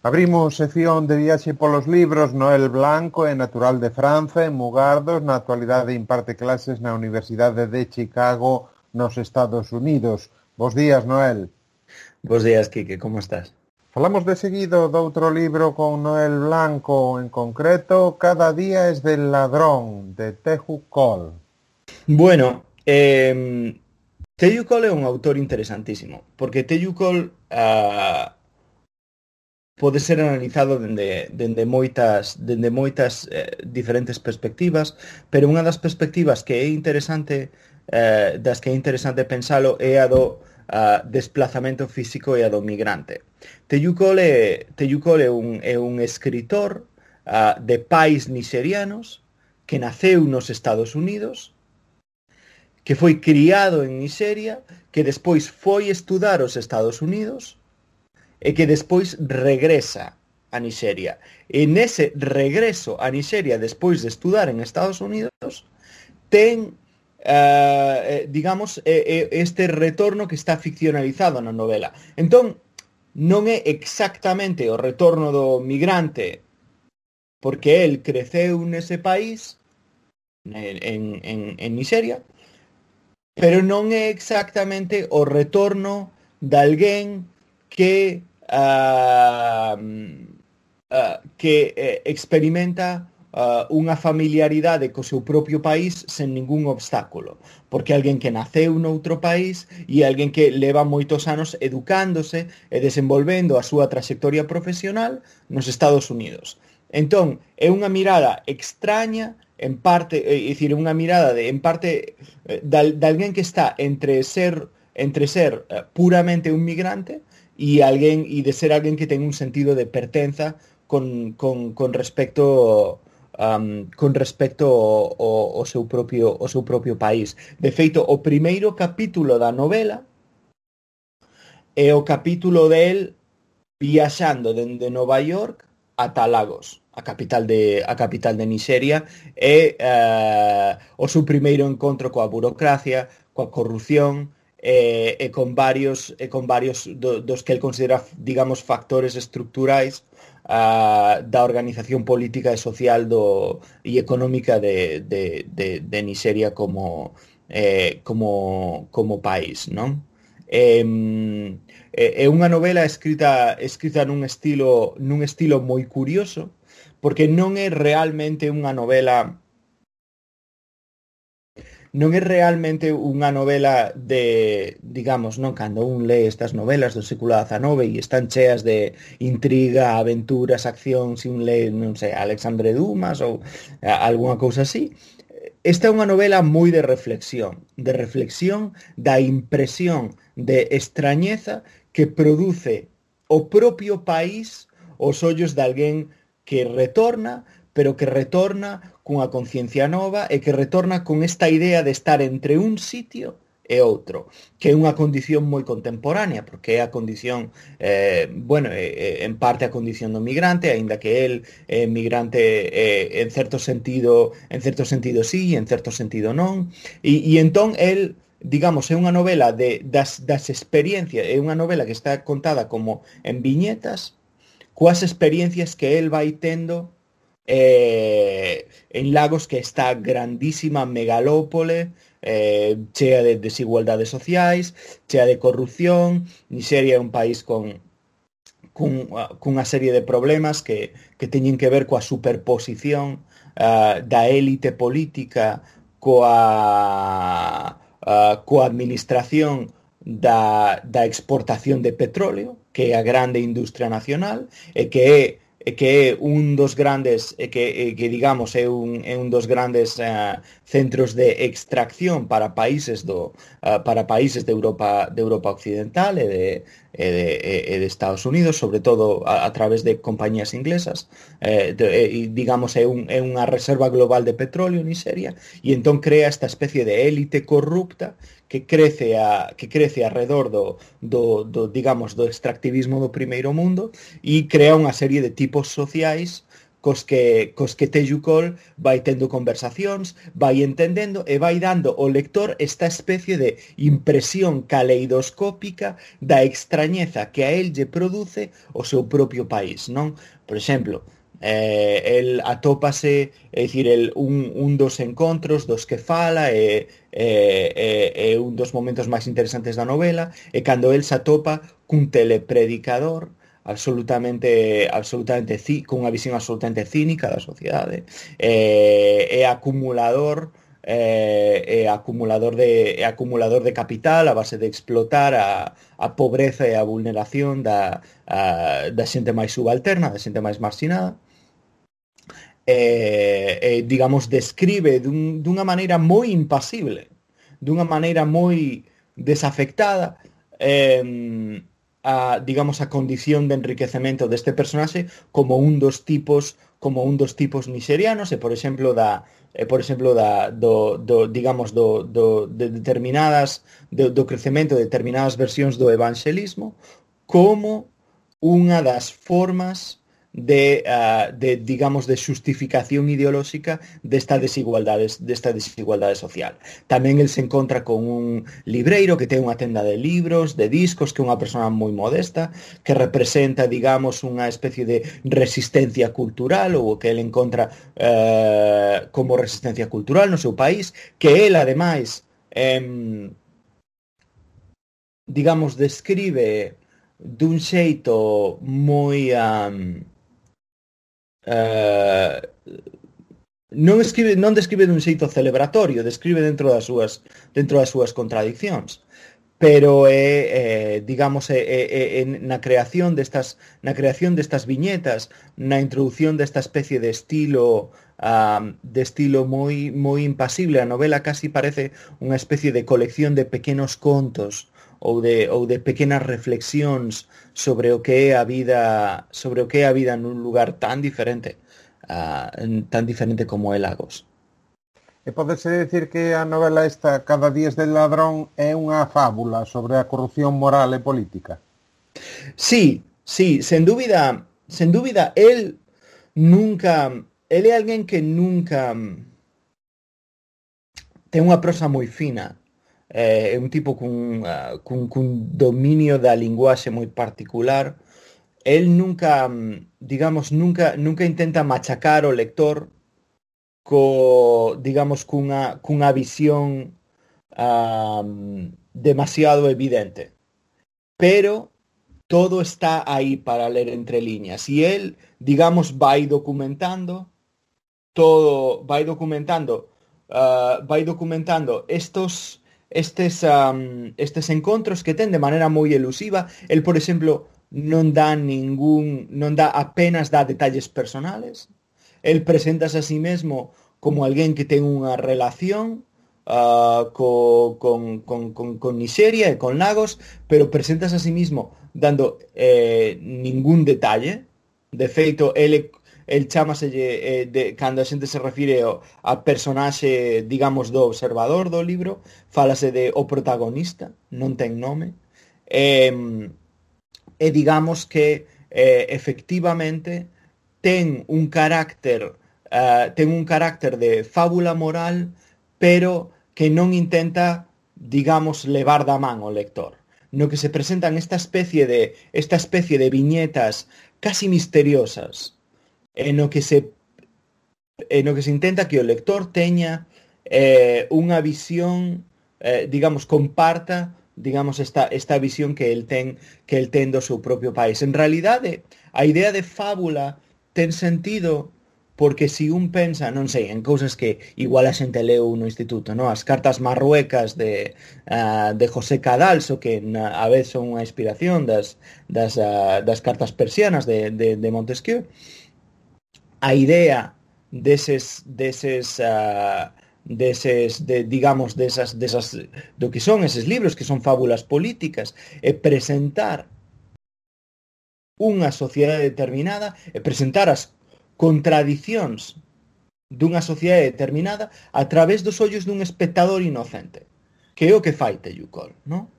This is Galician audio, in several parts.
Abrimos sección de viaxe polos libros. Noel Blanco é natural de Franza, en Mugardos. Na actualidade imparte clases na Universidade de Chicago, nos Estados Unidos. Bos días, Noel. Bos días, Quique, como estás? Falamos de seguido doutro libro con Noel Blanco, en concreto Cada día es del ladrón, de Teju Cole. Bueno, Teju Cole é un autor interesantísimo, porque Teju Cole pode ser analizado dende moitas diferentes perspectivas, pero unha das perspectivas que é interesante, das que é interesante pensalo, é a do desplazamento físico e a do migrante. Teju Cole é un escritor de pais nixerianos que naceu nos Estados Unidos, que foi criado en Nigeria, que despois foi estudar aos Estados Unidos e que despois regresa a Nigeria. E nese regreso a Nigeria despois de estudar en Estados Unidos ten, digamos, este retorno que está ficcionalizado na novela. Entón, non é exactamente o retorno do migrante porque el creceu nese país, en Nigeria, pero non é exactamente o retorno de alguén que experimenta unha familiaridade co seu propio país sen ningún obstáculo, porque alguén que naceu noutro país e alguén que leva moitos anos educándose e desenvolvendo a súa traxectoria profesional nos Estados Unidos. Entón, é unha mirada extraña, en parte, é dicir, unha mirada en parte de alguén que está entre ser puramente un migrante e de ser alguén que ten un sentido de pertenza con respecto ao seu propio país. De feito, o primeiro capítulo da novela é o capítulo del viaxando dende Nova York ata Lagos, a capital de Nigeria, e o seu primeiro encontro coa burocracia, coa corrupción, e con varios dos que el considera, digamos, factores estructurais da organización política e social e económica de Nigeria como país, non? É unha novela escrita nun estilo moi curioso, porque non é realmente unha novela de, digamos, non, cando un lee estas novelas do século XIX e están cheas de intriga, aventuras, accións, e un lee, non sei, Alexandre Dumas ou algunha cousa así. Esta é unha novela moi de reflexión da impresión de extrañeza que produce o propio país aos ollos de alguén que retorna, pero que retorna cunha conciencia nova e que retorna con esta idea de estar entre un sitio e outro, que é unha condición moi contemporánea, porque é a condición, en parte a condición do migrante, aínda que el é migrante en certo sentido sí, en certo sentido non, e entón el, digamos, é unha novela das experiencias, é unha novela que está contada como en viñetas, coas experiencias que el vai tendo en Lagos, que está grandísima megalópole, chea de desigualdades sociais, chea de corrupción. Nigeria é un país cunha serie de problemas que teñen que ver coa superposición da élite política coa administración da exportación de petróleo, que é a grande industria nacional, e que é un dos grandes, que digamos é un dos grandes centros de extracción para países de Europa occidental e de Estados Unidos, sobre todo a través de compañías inglesas, digamos é unha reserva global de petróleo en Nigeria, e entón crea esta especie de élite corrupta que crece alrededor digamos, do extractivismo do primeiro mundo, e crea unha serie de tipos sociais cos que Tello Col vai tendo conversacións, vai entendendo e vai dando ao lector esta especie de impresión caleidoscópica da extrañeza que a él lle produce o seu propio país, non? Por exemplo, el atópase, é dicir, un dos encontros dos que fala un dos momentos máis interesantes da novela é cando el se atopa cun telepredicador cunha visión absolutamente cínica da sociedade, é acumulador de capital a base de explotar a pobreza e a vulneración da xente máis subalterna, da xente máis marxinada. Digamos, describe dunha maneira moi impasible, dunha maneira moi desafectada, digamos, a condición de enriquecemento deste personaxe como un dos tipos nixerianos, por exemplo do crecemento de determinadas versións do evanxelismo como unha das formas de xustificación ideolóxica desta desigualdade social. Tamén el se encontra con un libreiro que ten unha tenda de libros, de discos, que é unha persona moi modesta, que representa, digamos, unha especie de resistencia cultural, ou que el encontra como resistencia cultural no seu país, que el, ademais, digamos, describe dun xeito moi non describe dun xeito celebratorio, describe dentro das súas contradiccións, pero digamos, na creación destas viñetas, na introducción desta especie de estilo moi impasible. A novela casi parece unha especie de colección de pequenos contos ou de pequenas reflexións sobre o que é a vida nun lugar tan diferente como é Lagos. E podese decir que a novela esta, Cada días del ladrón, é unha fábula sobre a corrupción moral e política? Sí, sen dúbida, él é alguén que nunca ten unha prosa moi fina. É un tipo cun dominio da linguaxe moi particular. El nunca intenta machacar o lector cunha visión demasiado evidente, pero todo está aí para ler entre liñas, e el, digamos, vai documentando estes encontros que ten de maneira moi elusiva. El, por exemplo, non dá apenas detalles personales. El preséntase a sí mesmo como alguén que ten unha relación con Nigeria e con Lagos, pero preséntase a sí mismo dando ningún detalle. De feito, el chámaselle, cando a xente se refire a personaxe, digamos, do observador do libro, fálase de o protagonista, non ten nome, digamos que efectivamente ten un carácter de fábula moral, pero que non intenta, digamos, levar da man ao lector, no que se presentan esta especie de viñetas casi misteriosas, en lo que se intenta que o lector teña unha visión, digamos, comparta, digamos, esta visión que el ten do seu propio país. En realidade, a idea de fábula ten sentido porque si un pensa, non sei, en cousas que igual a xente leu no instituto, no? As cartas marruecas de José Cadalso, que a vez son unha inspiración das cartas persianas de Montesquieu. A idea desas do que son eses libros, que son fábulas políticas, e presentar unha sociedade determinada, e presentar as contradicións dunha sociedade determinada a través dos ollos dun espectador inocente, que é o que fai Tello Col, non?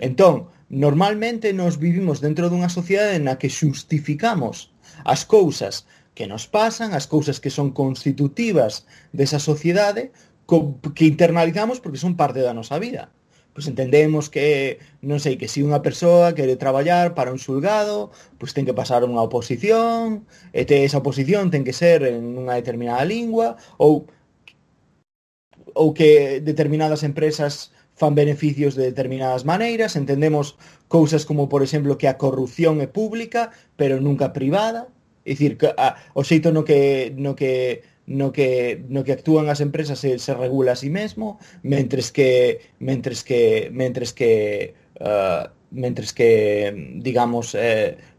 Entón, normalmente nos vivimos dentro dunha sociedade na que xustificamos as cousas que nos pasan, as cousas que son constitutivas desa sociedade, que internalizamos porque son parte da nosa vida. Pois entendemos que, non sei, que se unha persoa quere traballar para un xulgado, pois ten que pasar unha oposición, e esa oposición ten que ser en unha determinada lingua, ou que determinadas empresas fan beneficios de determinadas maneiras, entendemos cousas como, por exemplo, que a corrupción é pública, pero nunca privada, é dicir, que o xeito no que actúan as empresas se regula a sí mesmo, mentres que digamos,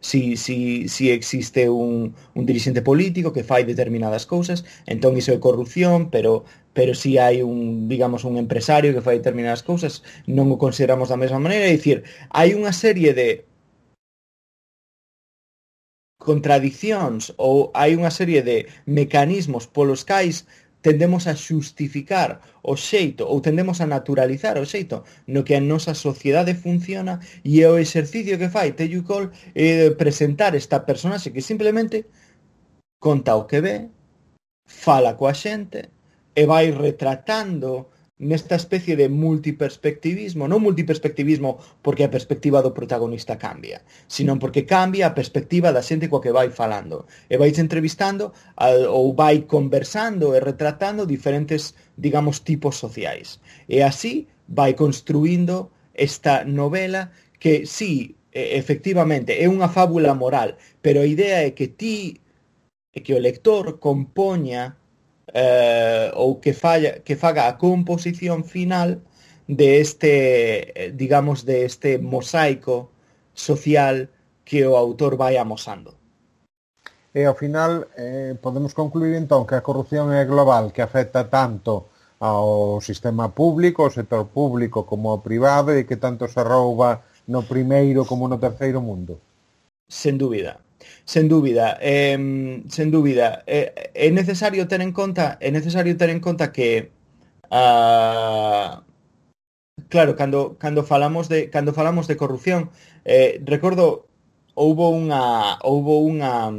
si existe un dirixente político que fai determinadas cousas, entón iso é corrupción, pero si hai digamos, un empresario que fai determinadas cousas, non o consideramos da mesma maneira. É dicir, hai unha serie de contradicións ou hai unha serie de mecanismos polos cais tendemos a xustificar o xeito ou tendemos a naturalizar o xeito no que a nosa sociedade funciona, e o exercicio que fai Tello Cole é presentar esta personaxe que simplemente conta o que ve, fala coa xente e vai retratando nesta especie de multiperspectivismo, non multiperspectivismo porque a perspectiva do protagonista cambia, sino porque cambia a perspectiva da xente coa que vai falando, e vais entrevistando ou vai conversando e retratando diferentes, digamos, tipos sociais, e así vai construindo esta novela que sí, efectivamente é unha fábula moral, pero a idea é que o lector compoña ou que faga a composición final de digamos, de este mosaico social que o autor vai amosando. E ao final podemos concluir entón que a corrupción é global, que afecta tanto ao sistema público, ao sector público como ao privado, e que tanto se rouba no primeiro como no terceiro mundo. Sen dúbida. Sen dúbida, é necesario ter en conta que claro, cando falamos de corrupción, recordo houbo unha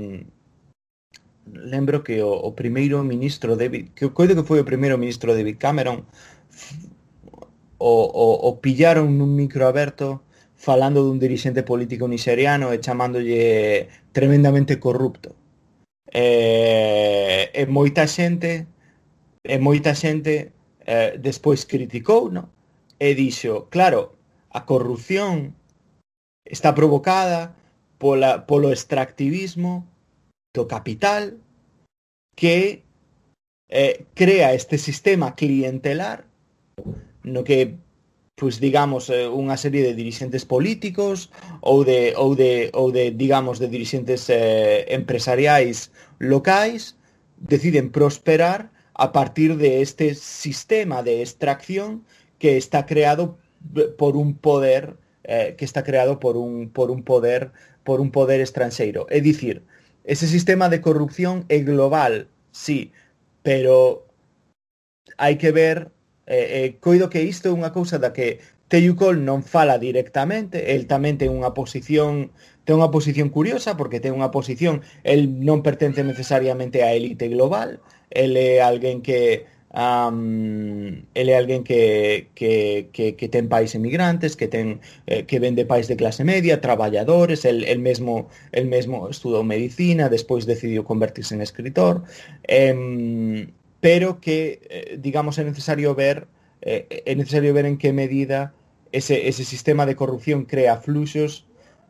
lembro que o primeiro ministro que coido que foi o primeiro ministro David Cameron, o pillaron nun micro aberto falando dun dirixente político nixeriano e chamándolle tremendamente corrupto. E moita xente despois criticou, no? E dixo, claro, a corrupción está provocada polo extractivismo do capital que crea este sistema clientelar no que, pois, digamos, unha serie de dirixentes políticos ou de digamos, de dirixentes empresariais locais deciden prosperar a partir de este sistema de extracción que está creado por un poder por un poder estranxeiro. É dicir, ese sistema de corrupción é global, sí, pero hai que ver, coido que isto é unha cousa da que Tello Cole non fala directamente, el tamén ten unha posición curiosa, porque ten unha posición, el non pertence necesariamente á élite global, el é alguén que ten pais emigrantes, que ven de pais de clase media, traballadores, el mesmo estudou medicina, despois decidiu convertirse en escritor, pero que, digamos, é necesario ver en que medida ese sistema de corrupción crea fluxos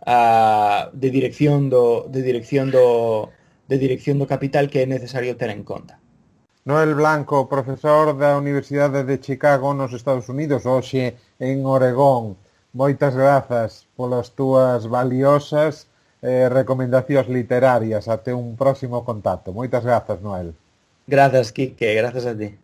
de dirección do capital que é necesario ter en conta. Noel Blanco, profesor da Universidade de Chicago nos Estados Unidos, hoxe en Oregón. Moitas grazas polas túas valiosas recomendacións literarias. Até un próximo contacto. Moitas grazas, Noel. Grazas, Quique. Grazas a ti.